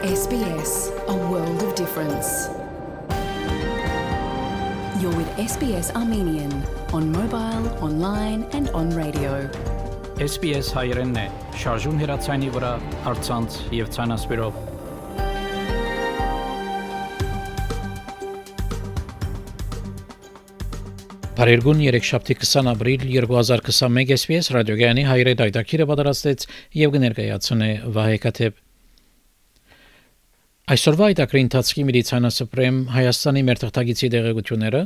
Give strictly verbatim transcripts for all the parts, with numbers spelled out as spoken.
S B S, a world of difference. You're with S B S Armenian on mobile, online and on radio. S B S հայերենն է, շարժուն հեռացանի վրա, առցանց եւ ցանասպիրով։ Բարերգուն երեքշաբթի քսան ապրիլ երկու հազար քսանմեկ S B S ռադիոգյանի հայերեն դայտակիրը պատրաստեց եւ կներկայացնե Վահե Կաթեփ։ Այսօրվա այդակրի ընթացքի միլիցիանասպրեմ Հայաստանի մերթղթագիտի դեղեցությունները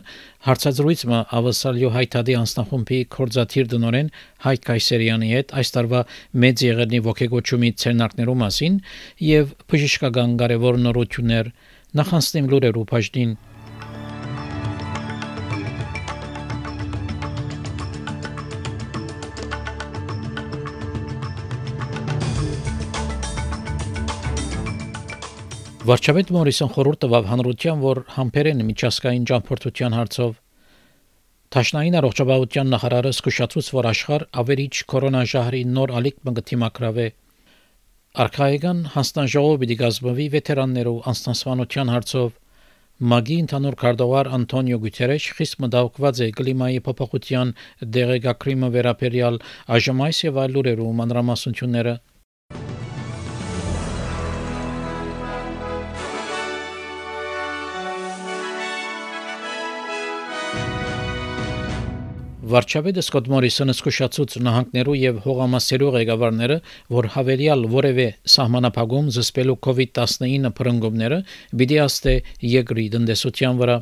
հարցազրույցը ավասալյո հայտարարի անձնախումբի կորզաթիր դնորեն Հայկ Կայսերյանի հետ այս տարվա մեծ եղերնի ոգեգոճումի ցերնակներու մասին եւ բժշկական կարևոր նորություններ նախանցնեմ լուրերու բաժնին։ Վարչապետ Մորիսոն խորհուրդ տվավ հանրության, որ համբերեն միջազգային ճամփորդության հարցով Տաշնային առողջապահության նախարարը զսկուշացուց, որ աշխարհ ավերիչ կորոնաժահրի նոր ալիք մգտիմակրավ է Արքայական հանձնաժողովը պիտի գազմվի վետերաններու անձնասպանության հարցով Մագի ընդհանուր քարտուղար Անտոնիո Գուտերեշ խիստ մտահոգված է կլիմայի փոփոխության դեղեկագրիմը վերաբերյալ այժմ այս եւ այլ լուրերու մանրամասնությունները Վարչապետը Սկոտ Մորիսոնը զսկուշացուց նահանգներու եւ հողամասերու ղեկավարները, որ հավելյալ որևէ սահմանափակում զսպելու COVID տասնինը փրկումները պիտի աստե երկրի տնտեսության վրա։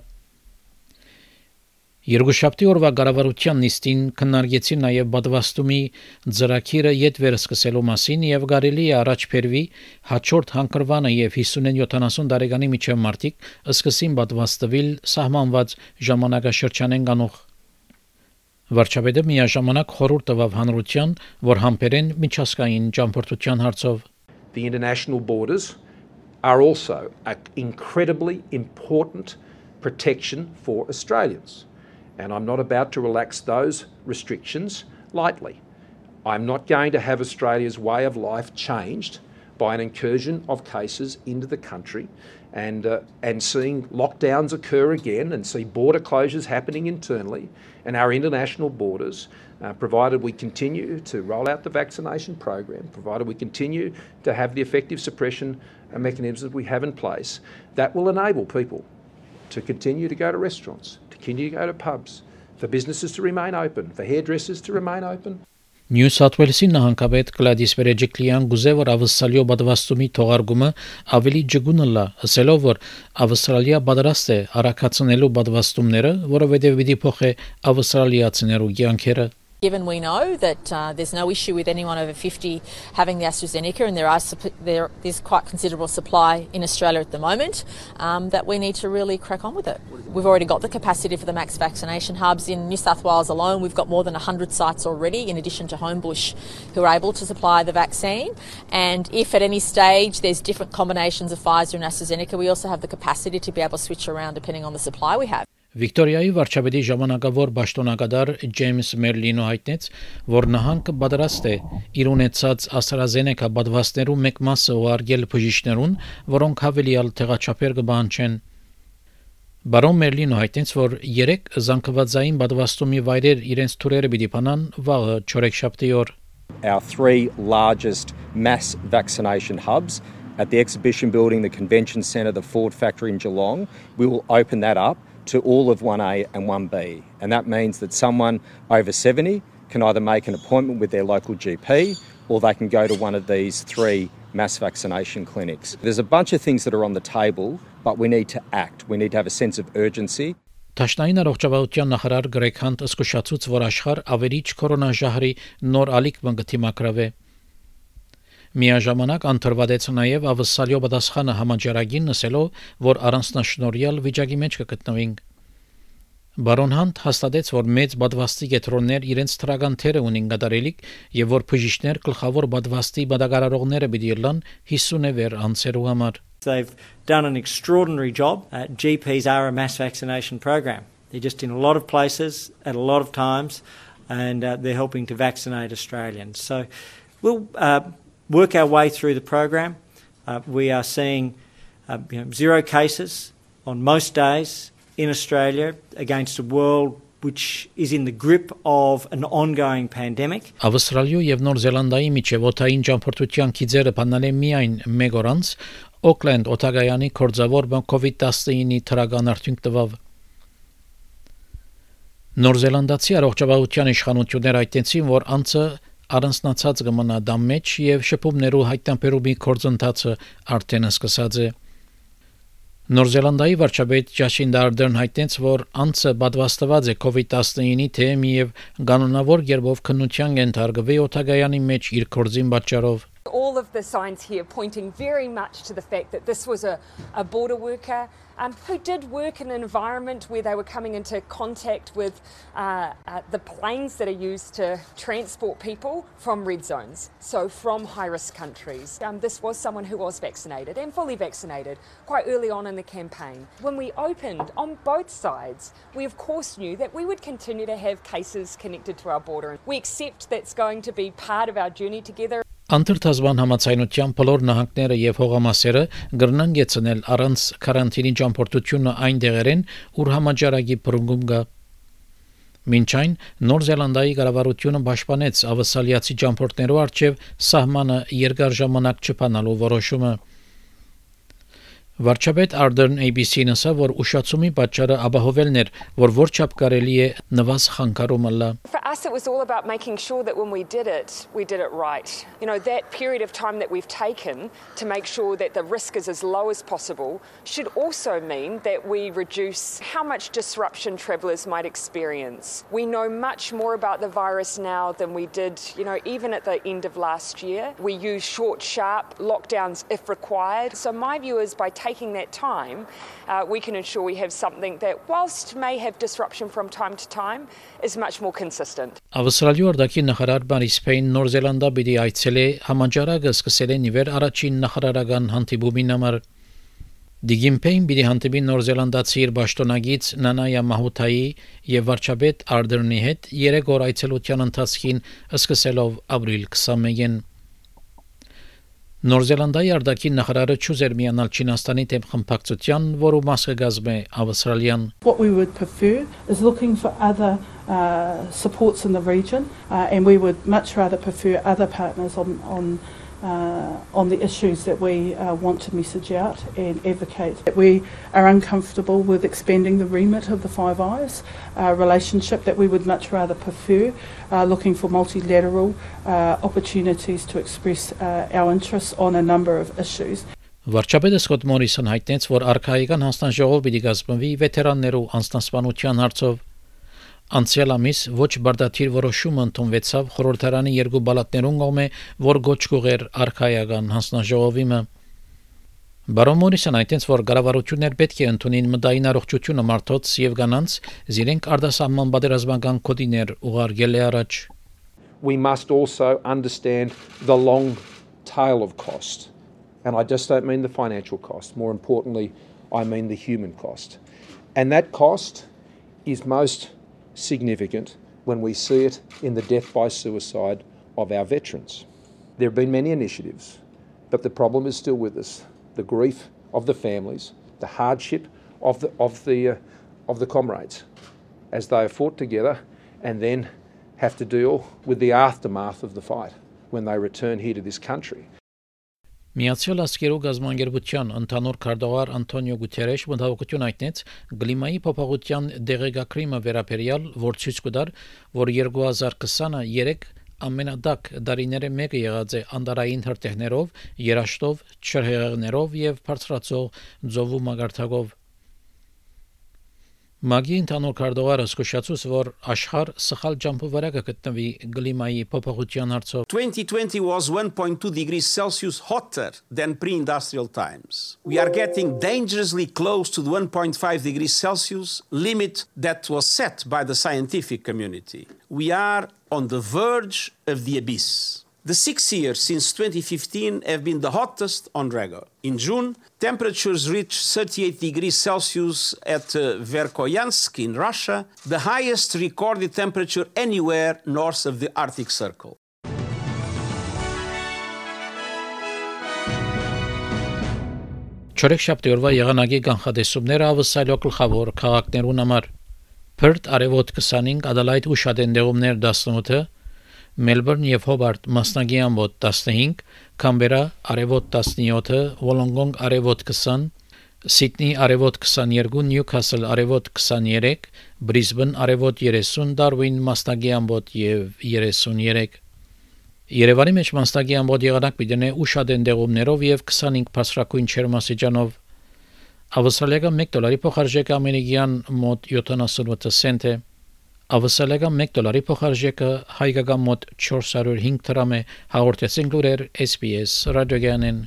Երկուշաբթի օրվա կառավարության նիստին քննարկեցին նաեւ պատվաստումի ծրագիրը յետ վերսկսելու մասին եւ կարելի է առաջ բերվի հաջորդ հանգրվանը եւ հիսուն-յոթանասուն տարեկանի միջև մարտիկ սկսին պատվաստվել սահմանված ժամանակաշրջանեն կանող Վարչապետը միաժամանակ խորհուրդ տվավ հանրության, որ համբերեն միջազգային ճամփորդության հարցով The international borders are also an incredibly important protection for Australians. And I'm not about to relax those restrictions lightly. I'm not going to have Australia's way of life changed by an incursion of cases into the country and uh, and seeing lockdowns occur again and see border closures happening internally and our international borders, uh, provided we continue to roll out the vaccination program, provided we continue to have the effective suppression uh, mechanisms that we have in place, that will enable people to continue to go to restaurants, to continue to go to pubs, for businesses to remain open, for hairdressers to remain open. Նյու Սաութ Ուելսի նահանգապետ Գլադիս Վերեջիկլյան գուզեվոր ավսալյո բադվաստումի թողարկումը ավելի ջգունը լա, ասելով որ Ավստրալիա պատրաստ է արաքացնելու բադվաստումները, որովհետև պիտի փոխե ավստրալիացիներու կյանքերը Given we know that uh, there's no issue with anyone over fifty having the AstraZeneca and there are there is quite considerable supply in Australia at the moment, um, that we need to really crack on with it. We've already got the capacity for the max vaccination hubs in New South Wales alone. We've got more than one hundred sites already, in addition to Homebush, who are able to supply the vaccine. And if at any stage there's different combinations of Pfizer and AstraZeneca, we also have the capacity to be able to switch around depending on the supply we have. Վիկտորիայի վարչապետի ժամանակավոր պաշտոնակատար Ջեյմս Մերլինը հայտնեց, որ նահանգը պատրաստ է իր ունեցած AstraZeneca պատվաստներու մեկ մասը ուղարկել բժիշկներուն, որոնք հավելյալ տեղաչափեր կբանջեն։ Բարոն Մերլինը հայտնեց, որ երեք զանգվածային պատվաստումի վայրեր իրենց թուրերը պիտի բանան վաղը չորեքշաբթի օր։ Our three largest mass vaccination hubs at the Exhibition Building, the Convention Centre, the Ford Factory in Geelong, we will open that up to all of one A and one B. And that means that someone over seventy can either make an appointment with their local G P or they can go to one of these three mass vaccination clinics. There's a bunch of things that are on the table, but we need to act. We need to have a sense of urgency. Տաշնային առողջապահության նախարար Գրեգ Հանտ զսկուշացուց, որ աշխարհ ավերիչ կորոնաժահրի նոր ալիք մգտիմակրավ է Միաժամանակ անդրադեց նաև ավսալյո պատասխանը համաճարակին նսելով, որ առանձնաշնորհյալ վիճակի մեջ կգտնվենք։ Բարոն Հանտ հաստատեց, որ մեծ պատվաստի կետրոններ իրենց թրական թերը ունին կատարելիք եւ որ բժիշկներ գլխավոր պատվաստի բادرարողները պիտի լան հիսուն վեր անցերու համար։ They've done an extraordinary job. Uh, G Ps are a mass vaccination program. They're just in a lot of places at a lot of times and uh, they're helping to vaccinate Australians. So we'll uh, work our way through the program. Uh, we are seeing uh, you know, zero cases on most days in Australia against a world which is in the grip of an ongoing pandemic. Ավստրալիու եւ Նոր Զելանդիայի միջև օդային ճամփորդության քիզերը բանալ են միայն մեկ օր անց Օքլենդ օտագայանի կորձավոր COVID nineteen թրագան արդյունք տվավ։ Նոր Զելանդացի առողջապահության իշխանությունները հայտնեցին, որ անձը առանձնացած կմնա դամ մեջ եւ շփումներու հայտնաբերումի կորձընթացը արդեն սկսած է։ Նոր Զելանդիայի վարչապետ Ջասինդա Արդերն հայտնեց, որ անձը պատվաստված է COVID nineteen-ի թեմ եւ կանոնավոր երբով քննության ենթարկվի օտագայանի մեջ իր կորձին պատճառով։ All of the signs here pointing very much to the fact that this was a, a border worker um, who did work in an environment where they were coming into contact with uh, uh, the planes that are used to transport people from red zones, so from high-risk countries. Um, this was someone who was vaccinated and fully vaccinated quite early on in the campaign. When we opened on both sides, we of course knew that we would continue to have cases connected to our border. We accept that's going to be part of our journey together. Անդրտազման համացայնության բոլոր նահանգները եւ հողամասերը գրնան գեցնել առանց կարանտինի ճամփորդությունը այն դեղերեն, ուր համաճարակի բռնգում կա։ Մինչ այն Նոր Զելանդիայի կառավարությունը պաշտպանեց ավսալիացի ճամփորդներու առջև սահմանը երկար ժամանակ չփանալու որոշումը։ Վարչապետ Ardern A B C-ն ասավ, որ ուշացումի պատճառը ապահովելն էր, որ որչափ կարելի է նվազ խանգարումը լա։ For us, it was all about making sure that when we did it, we did it right. You know, that period of time that we've taken to make sure that the risk is as low as possible should also mean that we reduce how much disruption travellers might experience. We know much more about the virus now than we did, you know, even at the end of last year. We use short, sharp lockdowns if required. So my view is by taking that time, uh, we can ensure we have something that, whilst may have disruption from time to time, is much more consistent. Ավստրալիու արտաքին նախարար Բարիս Փեյն Նոր Զելանդիա պիտի այցելե համաճարակը սկսել է նիվեր առաջին նախարարական հանդիպումին համար։ Դիգիմփեյն պիտի հանդիպի Նոր Զելանդացի իր պաշտոնագից Նանայա Մահութայի եւ վարչապետ Ardern-ի հետ երեք օր այցելության ընթացքին սկսելով ապրիլ twenty-first-ին։ Նոր Զելանդիայի արտաքին նախարարը չուզեր միանալ Չինաստանի դեմ խմբակցության, որը մասը կազմում է Ավստրալիան։ What we would prefer is looking for other uh, supports in the region, uh, and we would much rather prefer other partners on on uh, on the issues that we uh, want to message out and advocate. We are uncomfortable with expanding the remit of the Five Eyes uh, relationship, that we would much rather prefer uh, looking for multilateral uh, opportunities to express uh, our interests on a number of issues. Վարչապետը Սկոտ Մորիսոն հայտնեց, որ արքայական հանձնաժողով պիտի կազմվի վետերաններու անձնասպանության հարցով։ Անցյալ ամիս ոչ բարդաթիր որոշումը ընդունվեցավ խորհրդարանի երկու բալատներուն կողմէ, որ գոչ կուղեր արքայական հանձնաժողովիմը։ Բարոն Մորիսոն հայտնեց, որ կառավարություններ պետք է ընդունին մտային առողջությունը մարդոց եւ կանանց, զիրենք արտասահման պատերազմական կոդիներ ուղարկել է առաջ։ We must also understand the long tail of cost. And I just don't mean the financial cost. More importantly, I mean the human cost. And that cost is most significant when we see it in the death by suicide of our veterans. There have been many initiatives, but the problem is still with us. The grief of the families, the hardship of the, of the, uh, of the comrades as they have fought together and then have to deal with the aftermath of the fight when they return here to this country. Միացյալ Աշխարհի գազམ་անգերության ընդհանուր քարտուղար Անտոնիո Գուտերեշ մտահոգություն հայտնեց գլիմայի փոփոխության դեղեկագրիմը վերաբերյալ, որ ցույց կտար, որ twenty twenty-three ամենադակ դարիները մեկը եղած է անդարային հրթիռներով, երաշտով, չրհեղեղներով եւ բարձրացող ձովու մագարտակով։ Մագի ընդհանուր քարտուղարը զսկուշացուց, որ աշխարհ սխալ ջամփու վրա կգտնվի գլիմայի փոփոխության հարցով։ twenty twenty was one point two degrees Celsius hotter than pre-industrial times. We are getting dangerously close to the one point five degrees Celsius limit that was set by the scientific community. We are on the verge of the abyss. The six years since twenty fifteen have been the hottest on record. In June, temperatures reached thirty-eight degrees Celsius at uh, Verkhoyansk in Russia, the highest recorded temperature anywhere north of the Arctic Circle. Չորեքշաբթի օրվա եղանակի կանխատեսումները ավսալյո գլխավոր քաղաքներուն համար Perth արևոտ twenty-five, Adelaide ու շատենդեղումներ eighteen, Melbourne եւ Hobart մասնագի ամբոտ fifteen, Canberra արևոտ seventeen, Wollongong արևոտ twenty, Sydney արևոտ twenty-two, Newcastle արևոտ twenty-three, Brisbane արևոտ thirty, Darwin մասնագի ամբոտ եւ thirty-three Երևանի մեջ մասնագի ամբոտ եղանակ պիտի ու շատենդեղումներով եւ twenty-five բարձրակույն չերմասիջանով Ավստրալիական one դոլարի փոխարժեքը ամերիկյան մոտ seventy-eight سنت է Ավստրալիական one դոլարի փոխարժեքը հայկական մոտ four hundred five դրամ է հաղորդեցին լուրեր S B S ռադիոգյանեն